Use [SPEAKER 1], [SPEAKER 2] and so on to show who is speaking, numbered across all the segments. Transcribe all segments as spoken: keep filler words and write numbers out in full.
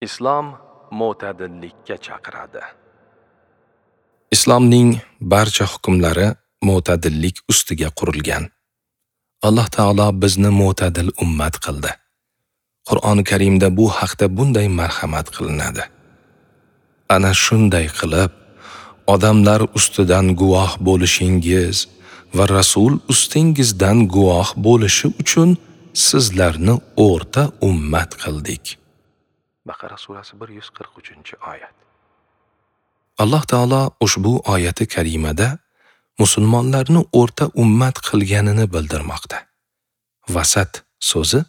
[SPEAKER 1] Islom mo'tadillikka chaqiradi. Islomning barcha hukmlari mo'tadillik ustiga qurilgan. Alloh taolo bizni mo'tadil ummat qildi. Qur'oni Karimda bu haqda bunday marhamat qilinadi. Ana shunday qilib, odamlar ustidan guvoh bo'lishingiz va Rasul ustingizdan guvoh bo'lishi uchun sizlarni o'rta ummat qildik. Baqara surasi bir yuz qirq uchinchi oyat. Alloh taolo ushbu oyati karimada musulmonlarni o'rta ummat qilganini bildirmoqda. Vasat so'zi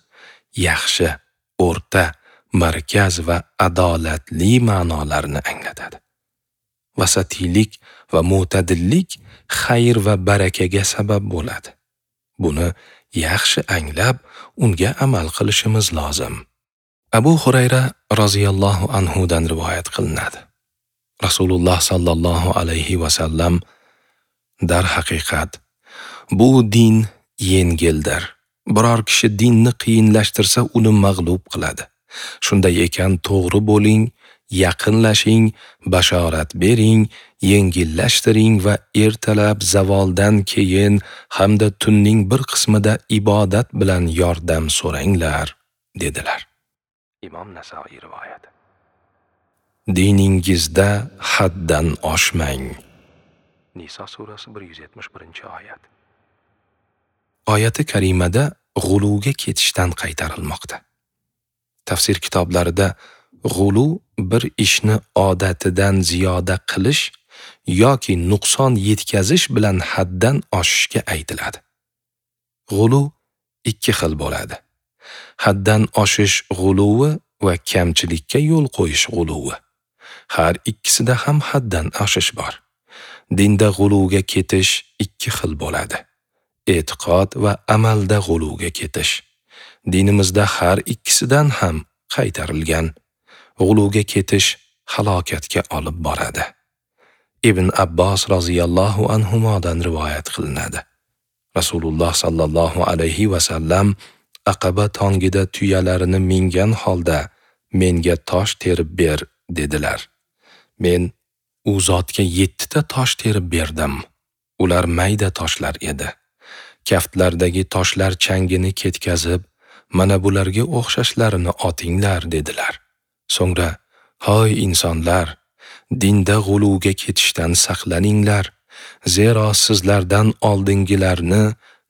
[SPEAKER 1] yaxshi, o'rta, markaz va adolatli ma'nolarni anglatadi. Vasatiylik va mo'tadillik xayr va barakaga sabab bo'ladi. Buni yaxshi anglab, unga amal qilishimiz lozim. Abu Hurayra roziyallohu anhu dan rivoyat qilinadi. Rasululloh sallallohu alayhi va sallam: "Dar haqiqat, bu din yengildir. Biror kishi dinni qiyinlashtirsa, uni mag'lub qiladi. Shunday ekan, to'g'ri bo'ling, yaqinlashing, bashorat bering, yengillashtiring va ertalab zavoldan keyin hamda tunning bir qismida ibodat bilan yordam so'ranglar", dedilar. Imom Nasoiy rivoyati. Diningizda haddan oshmang. Niso surasi bir yuz yetmish birinchi oyat. Oyati karimada g'uluvga ketishdan qaytarilmoqda. Tafsir kitoblarida g'ulu bir ishni odatidan ziyoda qilish yoki nuqson yetkazish bilan haddan oshishga aytiladi. G'ulu ikki xil bo'ladi. Haddan oshish g'uluvi va kamchilikka yo'l qo'yish g'uluvi. Har ikkisida ham haddan oshish bor. Dinda g'uluvga ketish ikki xil bo'ladi. E'tiqod va amalda g'uluvga ketish. Dinimizda har ikkisidan ham qaytarilgan. G'uluvga ketish halokatga olib boradi. Ibn Abbos roziyallohu anhumodan rivoyat qilinadi. Rasululloh sallallohu alayhi va sallam Aqaba tongida tuyalarini mingan holda menga tosh terib ber dedilar. Men u zotga yettita tosh terib berdim. Ular mayda toshlar edi. Kaftlardagi toshlar changini ketkazib, mana bularga o'xshashlarini otinglar dedilar. So'ngra, "Hoy insonlar, dinda g'uluvga ketishdan saqlaninglar, zero sizlardan oldingilarni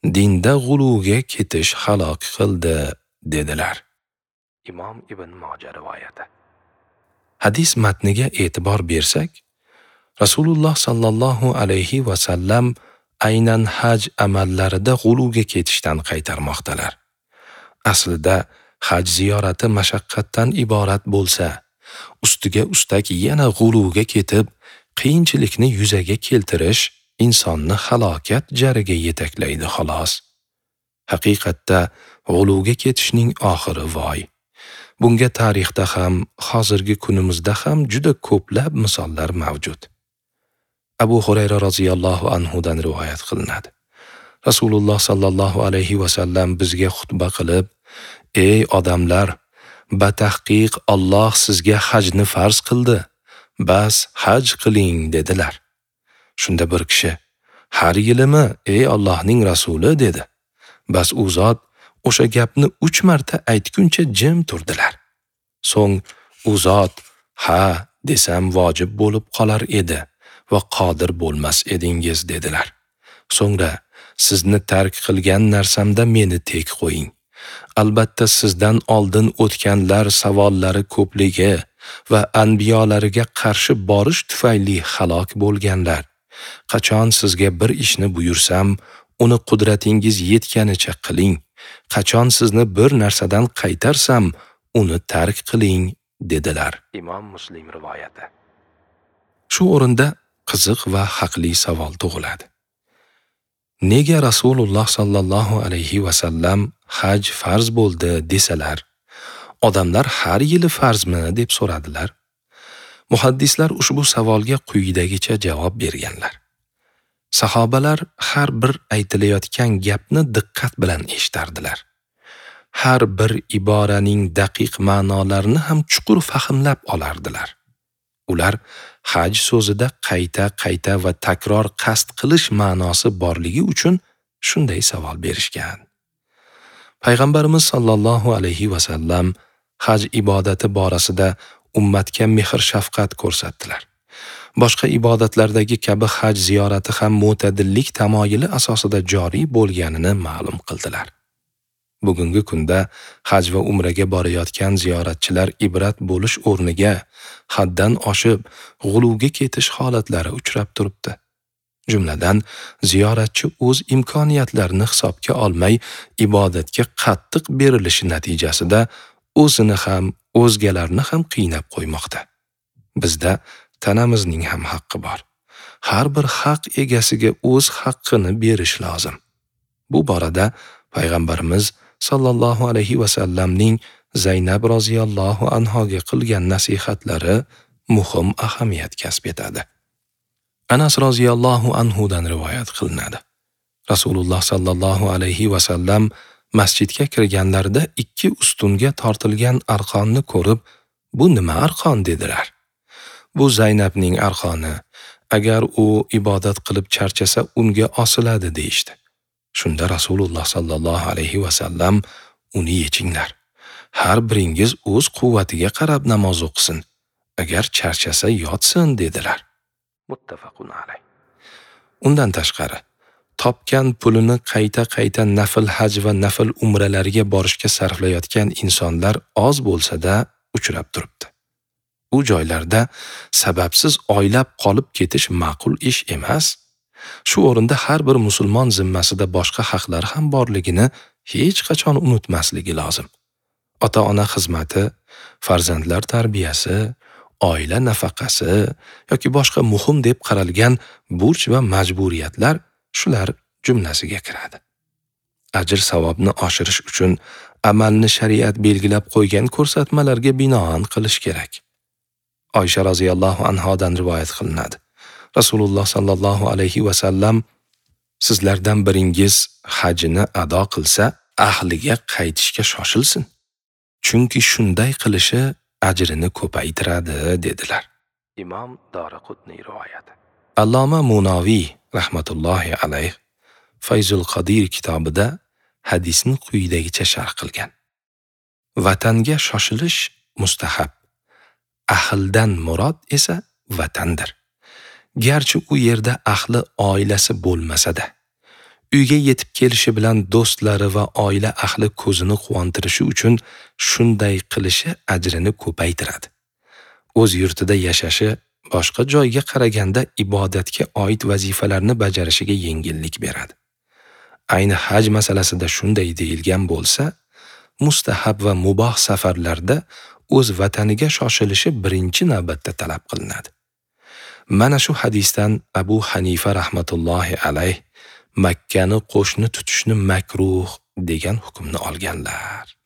[SPEAKER 1] dinda g'uluvga ketish halok qildi", dedilar. Imom Ibn Moja rivoyati. Hadis matniga e'tibor bersak, Rasululloh sallallohu alayhi va sallam aynan haj amallarida g'uluvga ketishdan qaytarmoqdalar. Aslida haj ziyorati mashaqqatdan iborat bo'lsa, ustiga ustak yana g'uluvga ketib, qiyinchilikni yuzaga keltirish insonni halokat jariga yetaklaydi xolos. Haqiqatda g'uluvga ketishning oxiri voy. Bunga tarixda ham, hozirgi kunimizda ham juda ko'plab misollar mavjud. Abu Hurayra roziyallohu anhu dan rivoyat qilinadi. Rasululloh sallallohu alayhi va sallam bizga xutba qilib, "Ey odamlar, batahqiq Alloh sizga hajni farz qildi. Bas haj qiling" dedilar. Shunda bir kishi, "Har yilimi, ey Allohning rasuli?" dedi. Bas u zot o'sha gapni uch marta aytguncha jim turdilar. So'ng u zot, "Ha" desam vojib bo'lib qolar edi va qodir bo'lmas edingiz dedilar. So'ngra, "Sizni tark qilgan narsamda meni tek qo'ying. Albatta sizdan oldin o'tganlar savollari ko'pligi va anbiyolariga qarshi borish tufayli halok bo'lganlar. Qachon sizga bir ishni buyursam, uni qudratingiz yetganicha qiling. Qachon sizni bir narsadan qaytarsam, uni tark qiling" dedilar. Imom Muslim rivoyati. Shu o'rinda qiziq va haqli savol tug'iladi. Nega Rasululloh sallallohu alayhi va sallam haj farz bo'ldi desalar, odamlar har yili farzmi deb so'radilar? Muhaddislar ushbu savolga quyidagicha javob berganlar. Sahobalar har bir aytilayotgan gapni diqqat bilan eshitardilar. Har bir iboraning daqiq ma'nolarini ham chuqur fahmlab olardilar. Ular haj so'zida qayta-qayta va takror qasd qilish ma'nosi borligi uchun shunday savol berishgan. Payg'ambarimiz sallallohu alayhi va sallam haj ibodati borasida ummatga mehr-shafqat ko'rsatdilar. Boshqa ibodatlardagi kabi haj ziyorati ham mo'tadillik tamoyili asosida joriy bo'lganini ma'lum qildilar. Bugungi kunda haj va umraga borayotgan ziyoratchilar ibrat bo'lish o'rniga haddan oshib g'uluvga ketish holatlari uchrab turibdi. Jumladan, ziyoratchi o'z imkoniyatlarini hisobga olmay ibodatga qattiq berilishi natijasida o'zini ham, o'zgalarni ham qiynab qo'ymoqda. Bizda tanamizning ham haqqi bor. Har bir haq egasiga o'z haqqini berish lozim. Bu borada Payg'ambarimiz sallallohu alayhi va sallamning Zaynab roziyallohu anhoga qilgan nasihatlari muhim ahamiyat kasb etadi. Anas roziyallohu anhu dan rivoyat qilinadi. Rasululloh sallallohu alayhi va sallam masjidga kirganlarida ikki ustunga tortilgan arqonni ko'rib, "Bu nima arqon?" dedilar. "Bu Zaynabning arqoni. Agar u ibodat qilib charchasa, unga osiladi" deyishdi. Shunda Rasululloh sallallohu alayhi va sallam, "Uni yechinglar. Har biringiz o'z quvvatiga qarab namoz o'qisin. Agar charchasa yotsin" dedilar. Muttafaqun alayh. Undan tashqari, topgan pulini qayta-qayta nafl haj va nafl umralarga borishga sarflayotgan insonlar oz bo'lsa-da uchrab turibdi. U joylarda sababsiz oylab qolib ketish ma'qul ish emas. Shu o'rinda har bir musulmon zimmasida boshqa haqlar ham borligini hech qachon unutmasligi lozim. Ota-ona xizmati, farzandlar tarbiyasi, oila nafaqasi yoki boshqa muhim deb qaralgan burch va majburiyatlar shular jumlasiga kiradi. Ajr savobni oshirish uchun amalni shariat belgilab qo'ygan ko'rsatmalarga binoan qilish kerak. Oysha roziyallohu anhodan rivoyat qilinadi. Rasululloh sallallohu alayhi va sallam, "Sizlardan biringiz hajini ado qilsa, ahliga qaytishga shoshilsin. Chunki shunday qilishi ajrini ko'paytiradi" dedilar. Imom Doraqutniy rivoyati. Alloma Munoviy rahmatullohi alayh Fayzul Qodir kitobida hadisni quyidagicha sharh qilgan. Vatanga shoshilish mustahab. Ahldan murod esa vatandir. Garchi u yerda ahli oilasi bo'lmasa-da, uyga yetib kelishi bilan do'stlari va oila ahli ko'zini quvontirishi uchun shunday qilishi ajrini ko'paytiradi. O'z yurtida yashashi boshqa joyga qaraganda ibodatga oid vazifalarni bajarishiga yengillik beradi. Ayni haj masalasida shunday deyilgan bo'lsa, mustahab va muboh safarlarda o'z vataniga shoshilishi birinchi navbatda talab qilinadi. Mana shu hadisdan Abu Hanifa rahmatullohi alayh Makkani qo'shni tutishni makruh degan hukmni olganlar.